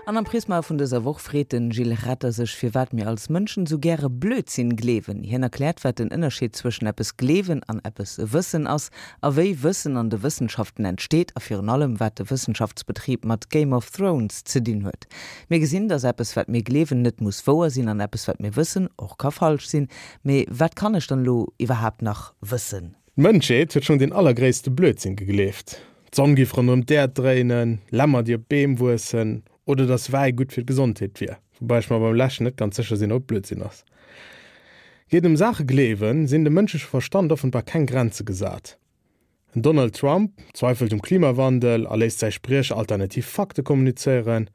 An am Prisma vun dëser Woch freet den Gilles Retter sech, firwat mir als Mënschen esou gäre Blödsinn gleewen. Hien erkläert, wat den Ënnerscheed zwëschen eppes gleewen an eppes wëssen ass, a wéi Wëssen an de Wëssenschaften entsteet, a virun allem, wat de Wëssenschaftsbetrib mat Game of Thrones ze dinn huet. Mir gesinn, dass eppes, wat mir gleewen, net muss wouer sinn, an eppes, wat mir wëssen, och ka falsch sinn. Mee wat kann ech dann elo iwwerhaapt nach wëssen? D'Mënschheet huet schonn deen allergréisste Blödsinn gegleeft, d'Sonn géif ronderëm d'Äerd dréinen, Lämmer déi op Beem wuessen oder datt Wäi gutt fir d'Gesondheet wier, woubäi ech mer beim leschten net ganz sécher sinn, ob et Blödsinn ass. Geet et ëm Saache gleewen, sinn dem mënschleche Verstand offenbar keng Grenze gesat. En Donald Trump zweifelt um Klimawandel a léisst säi Spriecher alternativ Fakte kommunizéieren.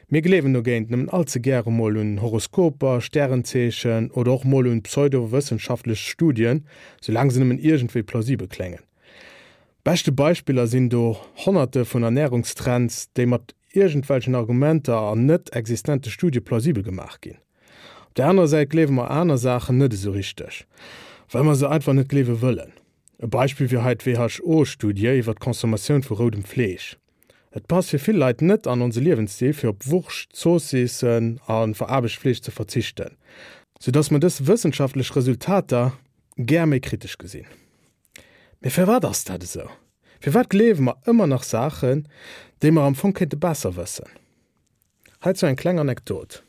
Mir gleewen dogéint nëmmen all ze gäre mol un Horoskoper, Stärenzeechen oder och mol un pseudowëssenschaftlech Studien, soulaang se nëmmen iergendwéi plausibel kléngen. Beschte Beispiller sinn do Honnerte vun Ernärungstrends, déi mat iergendwelchen Argumenter an net existente Studie plausibel gemaach ginn. Op der anerer Säit gleewe mer aner Saachen net esou richteg, well mer se einfach net gleewe wëllen. E Beispill wier hei d'WHO-Studie iwwer d'Consommatioun vu roudem Fleesch. Et passt fir vill Leit net an onse Liewensstil fir op Wurscht, Zoossissen a veraarbecht Fleesch ze verzichten, sou dass mer dës wëssenschaftlech Resultater gär méi kritesch gesinn. Mee firwat ass dat esou? Firwat gleewe mer ëmmer nach Saachen, déi mer am Fong kéinte besser wëssen? Heizou eng kleng Anekdot,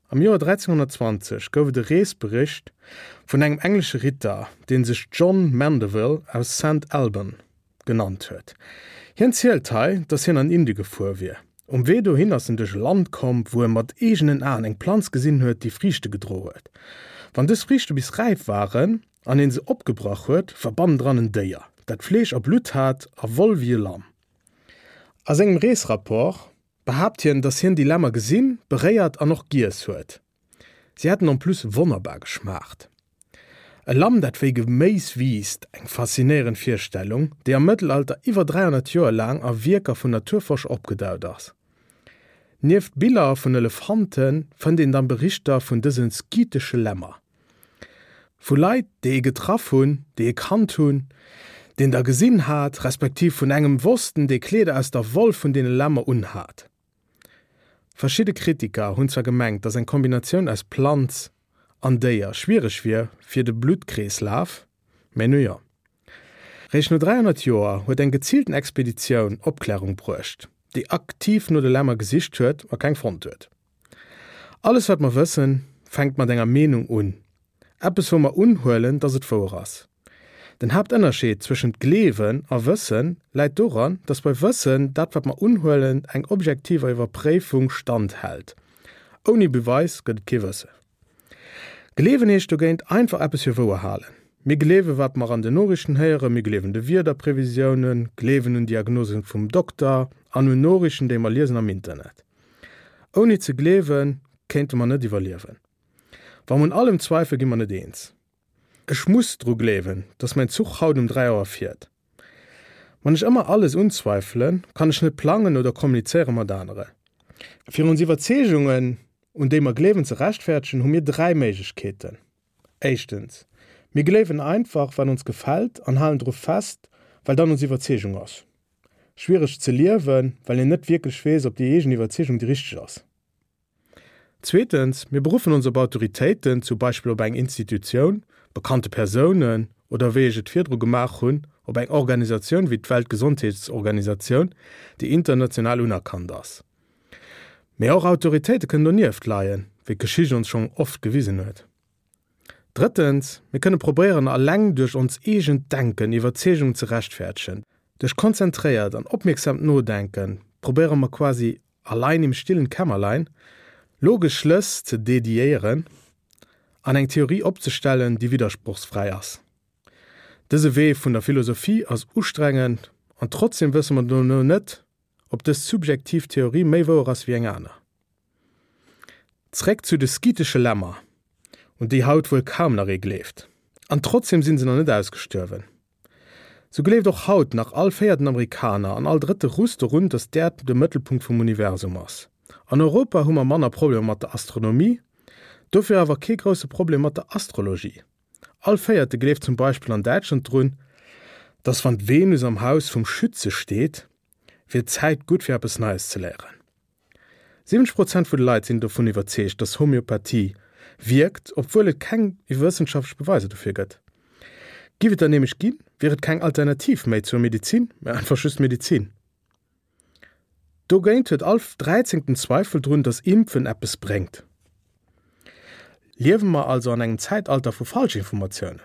Am Joer 1320 gouf et e Reesbericht vun engem englesche Ritter, dee sech John Mandeville aus Saint Alban genannt huet. Hien zielt hei, dass hien an Indie gefuer wier. Um Wee dohin ass en duerch e Land komm, wou e mat eegenen Aen eng Planz gesinn huet, déi Friichte gedro huet. Wann dës Friichte bis räif waren an een se opgebrach huet, war bannendran en Déier, dat Fleesch a Blutt hat a Woll wéi e Lamm. A sengem Reesrapport behaapt hien, dass hien déi Lämmer gesinn, beréiert an och giess huet. Si hätten en plus wonnerbar geschmaacht. E Lamm, dat wéi Geméis wiisst, eng faszinéierend Virstellung, déi am Mëttelalter iwwer 300 Joer laang a Wierker vun Naturforscher opgedaut ass. Nieft Biller vun Elefante fënnt een dann Berichter vun dëse skythesche Lämmer. Vu Leit, déi ee getraff hunn, déi ee kannt hunn, deen der gesinn hat, respektiv vun engem wossten, dee Kleeder aus der Woll vun deene Lämmer unhat. Verschidde Kritiker hunn zwar gemengt, datt eng Kombinatioun aus Planz an Déier schwiereg wier fir de Bluttkreeslaf, mä nu jo. Réischt no 300 Joer huet eng geziilten Expeditioun Opklärung bruecht, déi aktiv no de Lämmer gesicht huet a keng fonnt huet. Alles wat mer wëssen, fänkt mat enger Meenung un. Eppes wou mer unhuelen, dass et wouer ass. Den Haaptënnerscheed zwëschent Gleewen a Wëssen läit doran, dass bei Wëssen dat wat mer unhuelen eng objektiver Iwwerpréifung stand hält. Ouni Beweis gëtt et kee Wëssen. Gleewen heescht dogéint einfach eppes fir wouer halen. Mir gleewen wat mer an den Noriichten héieren, mir gleewen de Wiederprevisiounen, gleewen un Diagnosen vum Dokter an un Noriichten déi mer liesen am Internet. Ouni ze gleewen, kéinte mer net iwwerliewen. Wa mer un allem zweifelen, gi mer net eens. Ech muss dru gleewen, dass mäin Zuch haut um 3 Auer fiert. Wann ech ëmmer alles unzweifelen, kann ech net plangen oder kommunizéiere mat anere. Fir ons Iwwerzeegungen, un déi mer gleewen, ze rechtfäerdegen, hu mir 3 Méiglechkeeten. Éischtens, mir gleewen einfach, wat ons gefält an halen dru fest, well dann ons Iwwerzeegung ass. Schwiereg ze liewen, well een net wierklech weess, ob déi eegen Iwwerzeegung déi richteg ass. Zweetens, mir beruffen ons op Autoritéiten, zum Beispill op eng Institutioun, bekannte Persounen oder, wéi ech et virdru gemaach hunn, op eng Organisatioun wéi d'Weltgesondheetsorganisatioun, déi international unerkannt ass. Mee och Autoritéite kënnen donieft leien, wéi d'Geschicht ons schonn oft gewisen huet. Drëttens, mir kënne probéieren alleng duerch ons eegent Denken Iwwerzeegungen ze rechtfäerdegen. Duerch konzentréiert an opmierksamt Nodenken probéiere mer quasi allein im stillen Kämmerlein logesch Schlëss ze dediéieren an eng Theorie opzestellen, déi widdersprochsfräi ass. Dëse Wee vun der Philosophie ass ustrengend an trotzdem wësse mer dono net, ob dës subjektiv Theorie méi wouer ass wéi eng aner. Zréck zu de skythesche Lämmer, un déi haut wuel kaum nach ee gleeft. An trotzdem sinn se nach net ausgestuerwen. Sou gleeft och haut nach all véierten Amerikaner an all drëtte Russ dorun, datt d'Äerd de Mëttelpunkt vum Universum ass. An Europa hu mer manner Problemer mat der Astronomie, dofir awer kee grousse Problem mat der Astrologie. All véierte gleeft zum Beispill an Däitschland drun, datt wann d'Venus am Haus vum Schütze steet, wier d'Zäit gutt fir eppes Neies ze léieren. 70 Prozent vu de Leit sinn dovun iwwerzeegt, dass Homöopathie wierkt, obwuel et keng wëssenschaftlech Beweiser dofir gëtt. Giff et der nämlech ginn, wier et keng Alternativ méi zur Medizin, mä einfach just Medizin. Dogéint huet all Dräizéngten Zweifel drun, dass Impfen eppes bréngt. Liewe mer also an engem Zäitalter vu Falschinformatiounen?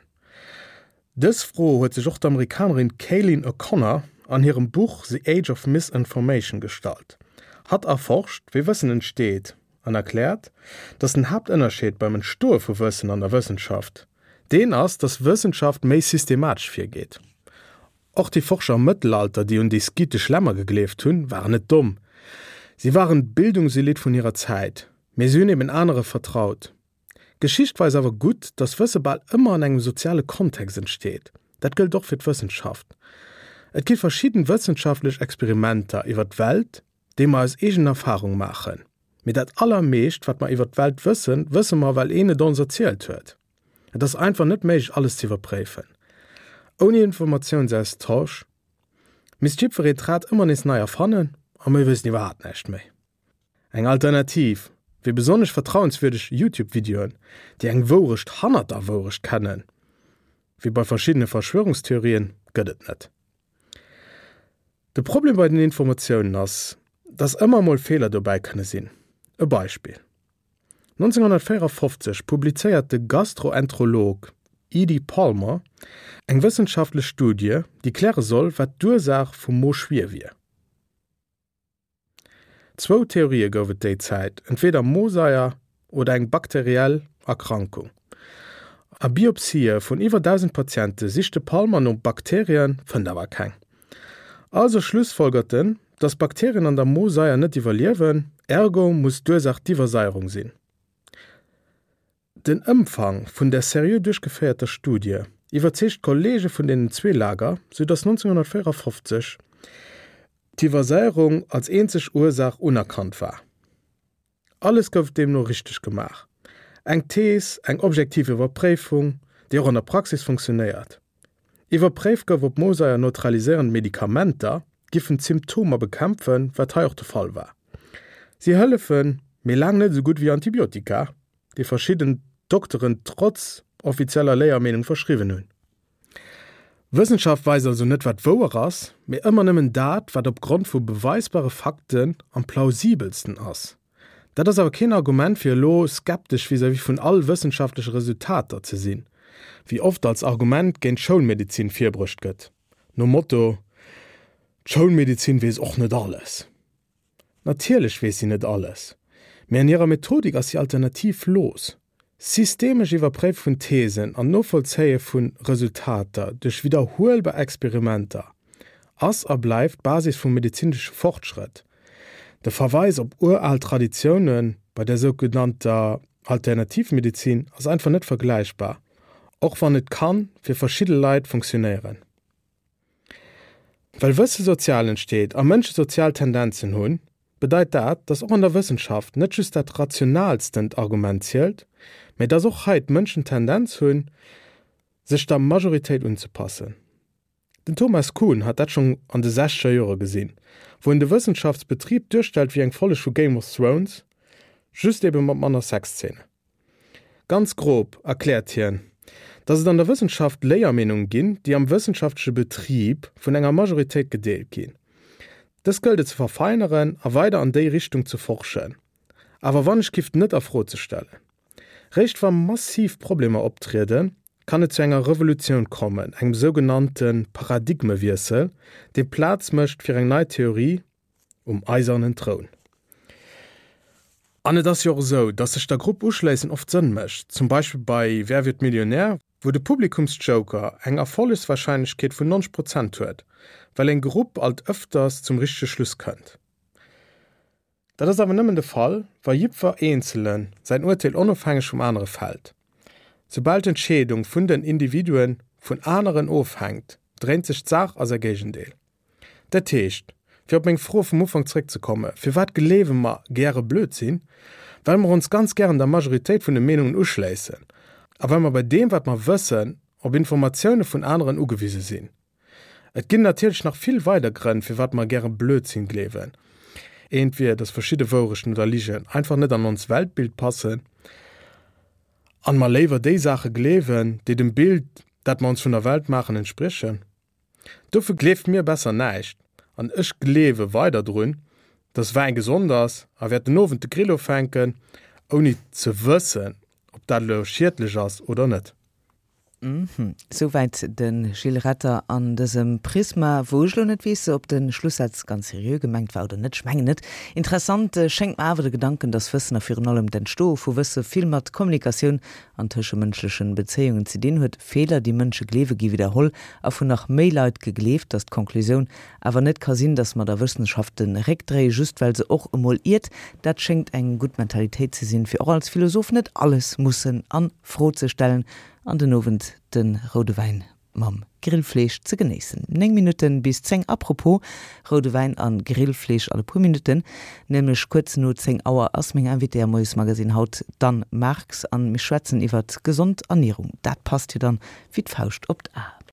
Dës Fro huet sech och d'Amerikanerin Cailin O'Connor an hirem Buch The Age of Misinformation gestallt. Hatt erforscht, wéi Wëssen entsteet an erkläert, dass den Haaptënnerscheed beim Entstoe vu Wëssen an der Wëssenschaft deen ass, dass Wëssenschaft méi systematesch virgeet. Och déi Forscher am Mëttelalter, déi un déi skythesch Lämmer gegleeft hunn, waren net domm. Si waren d'Bildungselite vun hirer Zäit, mee si hunn eben anere vertraut. D'Geschicht weist awer gutt, dass Wësse bal ëmmer an engem soziale Kontext entsteet. Dat gëllt och fir d'Wëssenschaft. Et gi verschidden wëssenschaftlech Experimenter iwwer d'Welt, déi mer aus eegener Erfarung maachen. Mee dat allermeescht, wat mer iwwer d'Welt wëssen, wësse mer, well een et ons erzielt huet. Et ass einfach net méiglech, alles ze iwwerpréifen. Ouni Informatiounsaustausch misst jiddweree d'Rad ëmmer nees nei erfannen a mir wéissten iwwerhaapt näischt méi. Eng Alternativ wéi besonnesch vertrauenswürdeg YouTube-Videoen, déi eng Wourecht hannert der Wourecht kennen, wéi bei verschiddene Verschwörungstheorien, gëtt et net. De Problem bei den Informatiounen ass, dass ëmmer emol Feeler dobäi kënne sinn. E Beispill, 1954 publizéiert de Gastroenterolog E. D. Palmer eng wëssenschaftlech Studie, déi kläre soll, wat d'Ursaach vum Moschwier wier. Zwou Theorië gouf et déi Zäit, entweeder Mosaier oder eng bakteriell Erkrankung. A Biopsië vun iwwer 1.000 Patiente sicht de Palmer no Bakterien, fënnt awer keng. Also schlussfolgert en, datt Bakterien an der Mosaier net iwwerliewen, ergo muss d'Ursaach d'Iwwersaierung sinn. Den Ëmfang vun der seriö duerchgeféierter Studie iwwerzeegt d'Kolleege vun deenen zwee Lager, sou datt 1954 d'Iwwersaierung als eenzeg Ursaach unerkannt war. Alles gouf deemno richteg gemaach, eng Thees, eng objektiv Iwwerpréifung, déi och an der Praxis funktionéiert. Iwwerpréift gouf, ob Mosaier neutraliséierend Medikamenter giffen d'Symptomer bekämpfen, wat hei och de Fall war. Si hëllefen, mee laang net esou gutt wéi Antibiotika, déi verschidden Dokteren trotz offizieller Léiermeenung verschriwwen hunn. Wëssenschaft weist also net wat wouer ass, mee ëmmer nëmmen dat, wat op Grond vu beweisbare Fakten am plausibelsten ass. Dat ass awer keen Argument fir elo skeptesch vis-à-vis vun all wëssenschaftleche Resultater ze sinn, wéi oft als Argument géint d'Schoulmedezin virbruecht gëtt, nom Motto, D'Schoulmedezin weess och net alles. Natierlech weess si net alles, mee an hirer Methodik ass si alternativlos. Systemesch Iwwerpréife vun Thesen an d'Novollzéie vu Resultater duerch widderhuelbar Experimenter ass a bleift d'Basis vum medezinesche Fortschrëtt. De Verweis op ural Traditioune bei der sougenannter Alternativmedezin ass einfach net vergläichbar, och wann et kann fir verschidde Leit funktionéieren. Well Wësse sozial entsteet a Mënsche sozial Tendenzen hunn, bedeit dat, datt och an der Wëssenschaft net just dat rationaalstent Argument zielt, mä datt och hei d'Mënschen d'Tendenz hunn, sech der Majoritéit unzepassen. Den Thomas Kuhn hat dat schonn an de sechzeger Jore gesinn, wou en de Wëssenschaftsbetrib duerstellt wéi eng Folleg vu Game of Thrones, just ebe mat manner Sexzeenen. Ganz grob erkläert hien, datt et an der Wëssenschaft Léiermeenunge ginn, déi am wëssenschaftleche Betrib vun enger Majoritéit gedeelt ginn. Dës gëllt et ze verfeineren a weider an déi Richtung ze forschen, awer wannechgift net a Fro ze stellen. Réischt wa massiv Problemer optrieden, kann et zu enger Revolutioun kommen, engem sougenannte Paradigmewiessel, dee Plaz mécht fir eng nei Theorie um eisernen Troun. An et ass jo och esou, datt sech der Grupp uschléissen oft Sënn mécht, zum Beispill bei Wer wird Millionär, wou de Publikumsjoker eng Erfollegswarscheinlechkeet vun 90 Prozent huet, well eng Grupp alt ëfters zum richtege Schluss kënnt. Dat ass awer nëmmen de Fall, wa jiddwer Eenzele säin Urteel onofhängeg vum anere fält. Soubal d'Entscheedung vun den Individue vun aneren ofhänkt, dréint sech d'Saach a säi Géigendeel. Dat heescht, fir op meng Fro vum Ufank zréckzekomme, Firwat gleewe mer gäre Blödsinn? Well mer ons ganz gären der Majoritéit vun de Meenungen uschléissen a well mer bei deem, wat mer wëssen, op Informatioune vun aneren ugewise sinn. Et ginn natierlech nach vill weider Grënn, firwat mer gäre Blödsinn gleewen. Eent wier, dass verschidde Wourechten oder Ligen einfach net an ons Weltbild passen an mer léiwer déi Saache gleewen, déi dem Bild, dat mer ons vun der Welt maachen, entspriechen. Dofir gleeft mir besser näischt an ech gleewe weider drun, dass Wäin gesond ass a wäert den Owend de Grill ufänken, ouni ze wëssen, ob dat elo schiedlech ass oder net. Uhmm. Souwäit de Gilles Retter an dësem Prisma, wou ech elo net weess, ob de Schlussaz ganz seriö gemengt war oder net. Ech mengen net. Interessant schéngt mer awer de Gedanken, dass Wëssen a virun allem d'Entstoe vu Wësse vill mat Kommunikatioun an tëschemënschlechen Bezéiungen ze dinn huet. Feeler, déi Mënsche gleewe gi widderholl a vun nach méi Leit gegleeft. Dass d'Konklusioun awer net ka sinn, dass mer der Wëssenschaft de Réck dréie just well se och emol iert, dat schéngt eng gutt Mentalitéit ze sinn, fir och als Philosoph net alles mussen a Fro ze stellen an den Owend de roude Wäin mam Grillfleesch ze genéissen. 9 Minutten bis 10. Apropos roude Wäin an Grillfleesch, an e puer Minutten, nämlech kuerz no 10 Auer, ass meng Invitée am Moiesmagasinn haut d'Anne Marx an mir schwätzen iwwert gesond Ernierung. Dat passt jo dann wéi d'Fauscht op d'A.